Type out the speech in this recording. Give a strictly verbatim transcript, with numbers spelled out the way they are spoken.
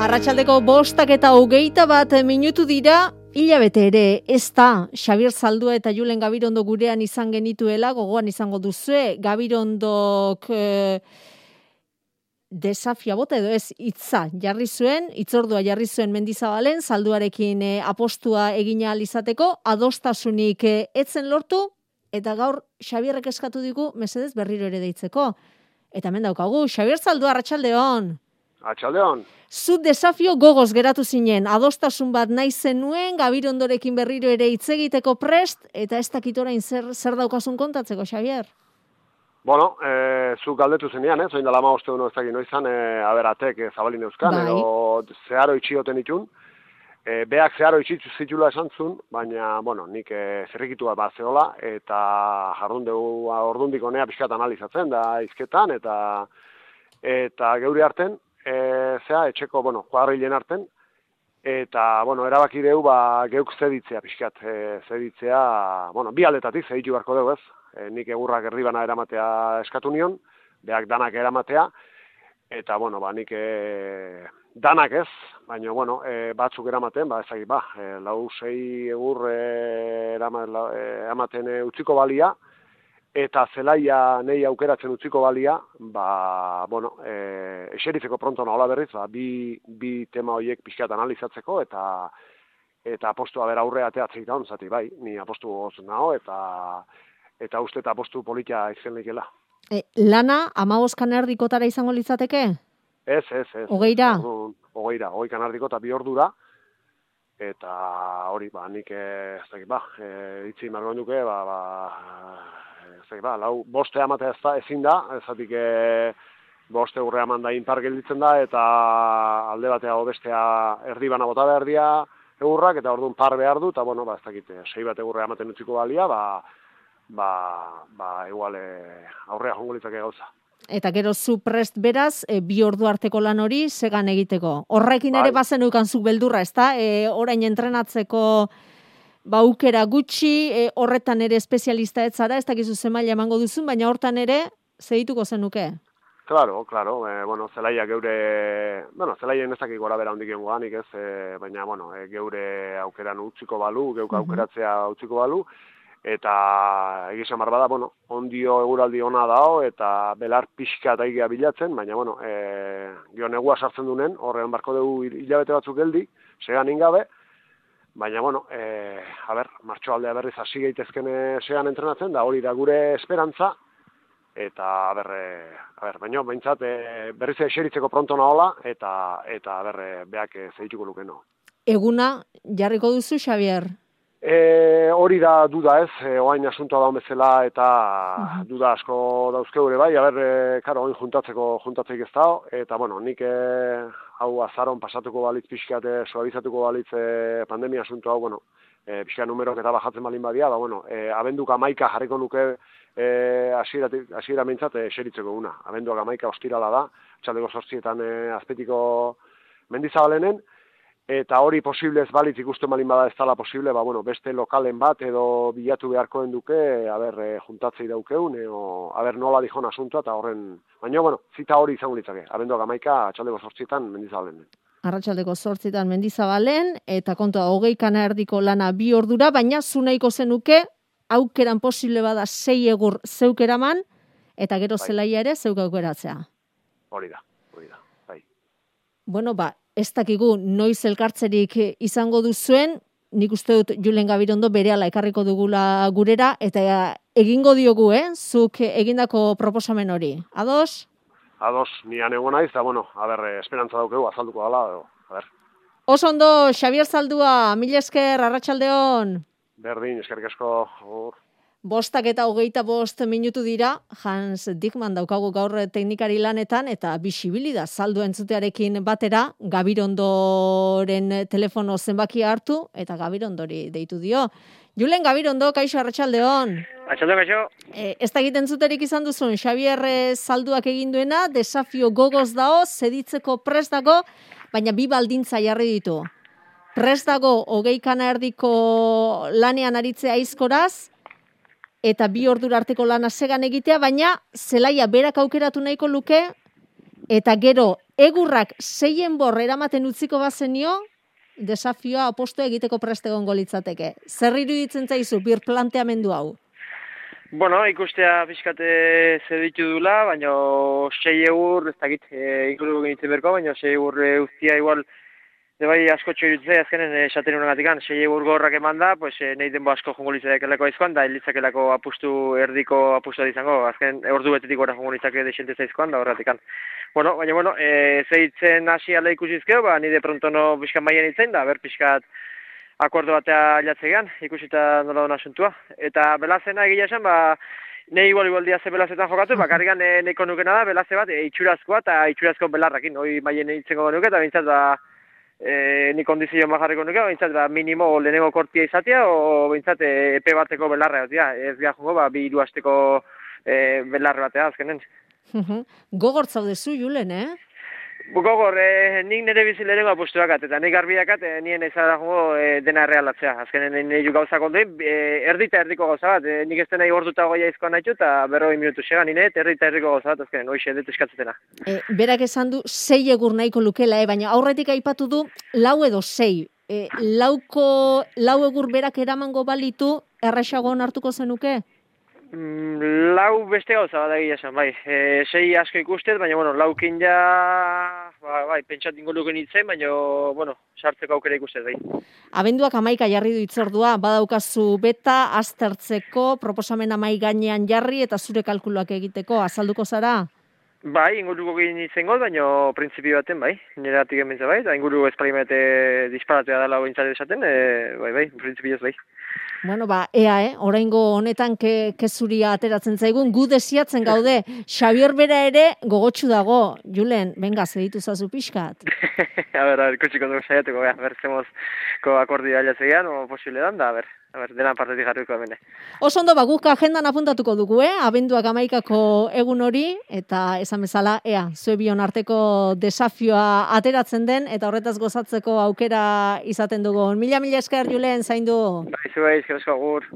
Arratsaldeko bostak eta hogeita bat minutu dira, hilabete ere ez da Xabier Zaldua eta Julen Gabirondo gurean izan genituela, gogoan izango duzue, Gabirondok e, desafia bota edo ez hitza jarri zuen, hitzordua jarri zuen Mendizabalen, Zalduarekin e, apostua egin ahal izateko, adostasunik e, etzen lortu, eta gaur Xabierrek eskatu digu mesedez berriro ere deitzeko. Eta hemen daukagu, Xabier Zaldua, arratsaldeon. Atxaldeon. Zu desafio gogoz geratu zinen, adostasun bat nahi zenuen, Gabirondorekin berriro ere hitz egiteko prest, eta ez dakit orain zer, zer daukasun kontatzeko, Xabier? Bueno, e, zu galdetu zenean, eh? Zoin dala maoste hono ez dakit noizan, e, aberatek e, zabalin euskan, bai. Edo zeharo itxioten itun. E, beak zeharo itxitu zitula esan zuen, baina, bueno, nik e, zerrikitu bat zehola, eta jardun dugu ordundik honea pixkat analizatzen, da izketan, eta eta geuri arten, E, zea, etxeko, bueno, kuadrilen arten, eta, bueno, erabaki deu, ba, geuk zeditzea pixkat, e, zeditzea, bueno, bi aldetatik zeditu beharko dugu ez, e, nik egurrak erdibana eramatea eskatu nion, beak danak eramatea, eta, bueno, ba, nik e, danak ez, baina, bueno, e, batzuk eramaten, ba, ezagik, ba, e, lau, sei egur e, erama, la, e, eramaten e, utziko balia, eta zelaia nei aukeratzen utziko balia, ba, bueno, e, eserifeko pronto nahola berriz, ba, bi, bi tema horiek pixkat analizatzeko, eta eta apostua bera aurre ateatzeik daun, zati, bai, ni apostu goz naho, eta eta uste eta apostu politia izen likela. E, lana, amabos kanerdikotara izango litzateke? Ez, ez, ez. Hogeira? Hogeira, hogei kanardiko eta bi ordura, eta hori, ba, nik ez dakit, ba, e, itzi margoen duke, ba, ba, ba, lau, boste amatea ez da, ezin da, ezatik e, boste urre aman da inpar gelditzen da, eta alde batea bestea erdi bana bota behar dia egurrak, eta orduan par behar du, eta bueno, ba, ez dakit, sei bat egurre amaten utziko balia, ba, ba, ba, igual e, aurrea jongo litzake gauza. Eta gero zu prest beraz, e, bi ordu arteko lan hori segan egiteko. Horrekin bai. Ere bazen ukanzuk beldurra, ez da? E, orain entrenatzeko ba aukera gutxi, e, horretan ere espezialista ez zara, ez dakizu zemaila emango duzun, baina hortan ere zedituko zenuke. Claro, claro, e, bueno, zelaia geure, bueno, zelaien ez dakik gora bera hondik egonganik ez, e, baina, bueno, e, geure aukeran utziko balu, geuk aukeratzea utziko balu, eta egizan barbada, bueno, ondio eguraldi ona dao, eta belar pixka eta egia bilatzen, baina, bueno, e, gio negua sartzen dunen, horrean barko dugu hilabete batzuk geldi, segan ingabe, baina, bueno, e, a ber, martxo aldea berriz hasi gaitezken sean entrenatzen, da hori da gure esperantza, eta, a ber, e, a ber, baina, behintzat, e, berriz eseritzeko pronto nahola, eta, eta a ber, e, beak e, zeituko lukeno. Eguna jarriko duzu, Xabier? E, hori da duda ez, e, oain asuntoa daun bezala, eta uh-huh. duda asko dauzke gure bai, a ber, e, karo, oin juntatzeko juntatzeik ez dao, eta, bueno, nik e, hau azaron pasatuko balitz pixkat, suabizatuko balitz e, pandemia asunto hau, bueno, e, pixkat numerok eta bajatzen balin badia, ba, bueno, e, abenduk amaika jarriko nuke e, hasiera mintzat e, eseritzeko una. Abenduak amaika ostirala da, txaldeko sortzietan e, azpetiko Mendizabalenen, eta hori posible ez balitz ikusten balin bada ez dala posible, ba, bueno, beste lokalen bat edo bilatu beharkoen duke, aber, e, juntatzei daukeun, edo, aber, nola dijon asuntoa, eta horren, baina, bueno, zita hori izango litzake, abenduak amaika, atxaldeko sortzietan Mendizabalen. Arratsaldeko sortzietan Mendizabalen, eta kontua hogei kana erdiko lana bi ordura, baina zu nahiko zenuke, aukeran posible bada sei egur zeukeraman, eta gero bai. Zelaia ere zeuk aukeratzea. Hori da, hori da, bai. Bueno, ba, ez dakigu noiz elkartzerik izango duzuen, nik uste dut Julen Gabirondo berehala ekarriko dugula gurera, eta egingo diogu, eh? Zuk egindako proposamen hori. Ados? Ados, nian egon naiz, eta bueno, a ber, esperantza daukegu, azalduko dala, edo, a ber. Oso ondo, Xabier Zaldua, mila esker, arratsaldeon. Berdin, eskerrik asko, hor. Bostak eta hogeita bost minutu dira, Hans Dickmann daukagu gaur teknikari lanetan, eta bisibilida saldu entzutearekin batera, Gabirondoren telefono zenbakia hartu, eta Gabirondori deitu dio. Julen Gabirondo, kaixo, arratsaldeon. Arratsaldeon, kaixo. E, ez da egiten zuterik izan duzun, Xabier Zalduak egin duena, desafio gogoz dao, zeditzeko prest dago, baina bi baldintza jarri ditu. Prest dago, hogei kana erdiko lanean aritzea aizkoraz, eta bi ordura arteko lana segan egitea, baina zelaia berak aukeratu nahiko luke, eta gero egurrak seien bor eramaten utziko bazenio, desafioa aposto egiteko prest egongo litzateke. Zer iruditzen zaizu birplanteamendu hau? Bueno, ikustea pixkate zer ditu dula, baina sei egur, ez dakit, e, inkludu genitzen berko, baina sei egur e, ustia igual, de bai asko txoritzea, azkenen esaten unagatik, sei egur gorrak eman da, pues, e, nahi denbo asko jongo litzakelako aizkoan, da litzakelako apustu, erdiko apustu izango, azken ordu betetik gora jongo litzake desente zaizkoan, da horretik. Bueno, baina, bueno, e, zeitzen hasi ala ikusizkeo, ba, nire prontono pixkan maien itzen, da, ber pixkat, akordo batea latzegean, ikusita nola dona asuntua. Eta belazena egia esan, ba, nahi igual igual diaze belazetan jokatu, bakarrikan e, neko nukena da, belaze bat, e, itxurazkoa eta itxurazko belarrakin. Hoi maien itzengo nuke, eta bintzat, ba, e, ni kondizio majarriko nuke, bintzat, ba, minimo lehenengo kortia izatea, o bintzat, e, epe bateko belarra, ez gara jongo, ba, bi hiru asteko e, belarra batea, azkenen. Gogor zaudezu, Julen, eh? Gogor, eh, nik nire bizilerengo apustuakat, eta nik garbiakat, eh, nien ezara jongo eh, dena errealatzea. Azkenen nire gauzak ondoin, eh, erdita erdiko gauza bat, eh, nik ez dena igortuta goia izkoan nahitu, eta berroi minutu segan, nire erdita erdiko gauza bat, azkenen, hoxe, dut eskatzetena. E, berak esan du, sei egur nahiko lukela, eh? Baina aurretik aipatu du, lau edo sei. E, lauko, lau egur berak eramango balitu, erraxago hartuko zenuke? Mm, lau beste gauza bat egia esan, bai. E, sei asko ikustet, baina, bueno, laukin ja, ba, bai, pentsat ingo luken itzen, baina, bueno, sartzeko aukera ikustet, bai. Abenduak amaika jarri du itzordua, badaukazu beta, aztertzeko, proposamen amai gainean jarri eta zure kalkuluak egiteko, azalduko zara? Bai, inguruko egin itzen goz, baina printzipio baten, bai, nire atik emintza, bai, eta inguru esparimente disparatea dela ointzat esaten, e, bai, bai, printzipioz, bai. Bueno, ba, ea, eh? Oraingo honetan ke, kezuria ateratzen zaigun, gu desiatzen gaude, Xabier bera ere gogotsu dago. Julen, benga, zeditu zazu pixkat. a ber, a ber, kutsiko dugu saiatuko, a ber, zemozko akordia alatzean, o posible dan, da, a ber, a ber, dena partetik jarriko emene. Oso ondo, ba, guk agendan apuntatuko dugu, eh? Abenduak amaikako egun hori, eta esan bezala, ea, zue bion arteko desafioa ateratzen den, eta horretaz gozatzeko aukera izaten dugu. Mila, mila esker, Julen, zaindu. Bai, zu bai, eskerrezko agur.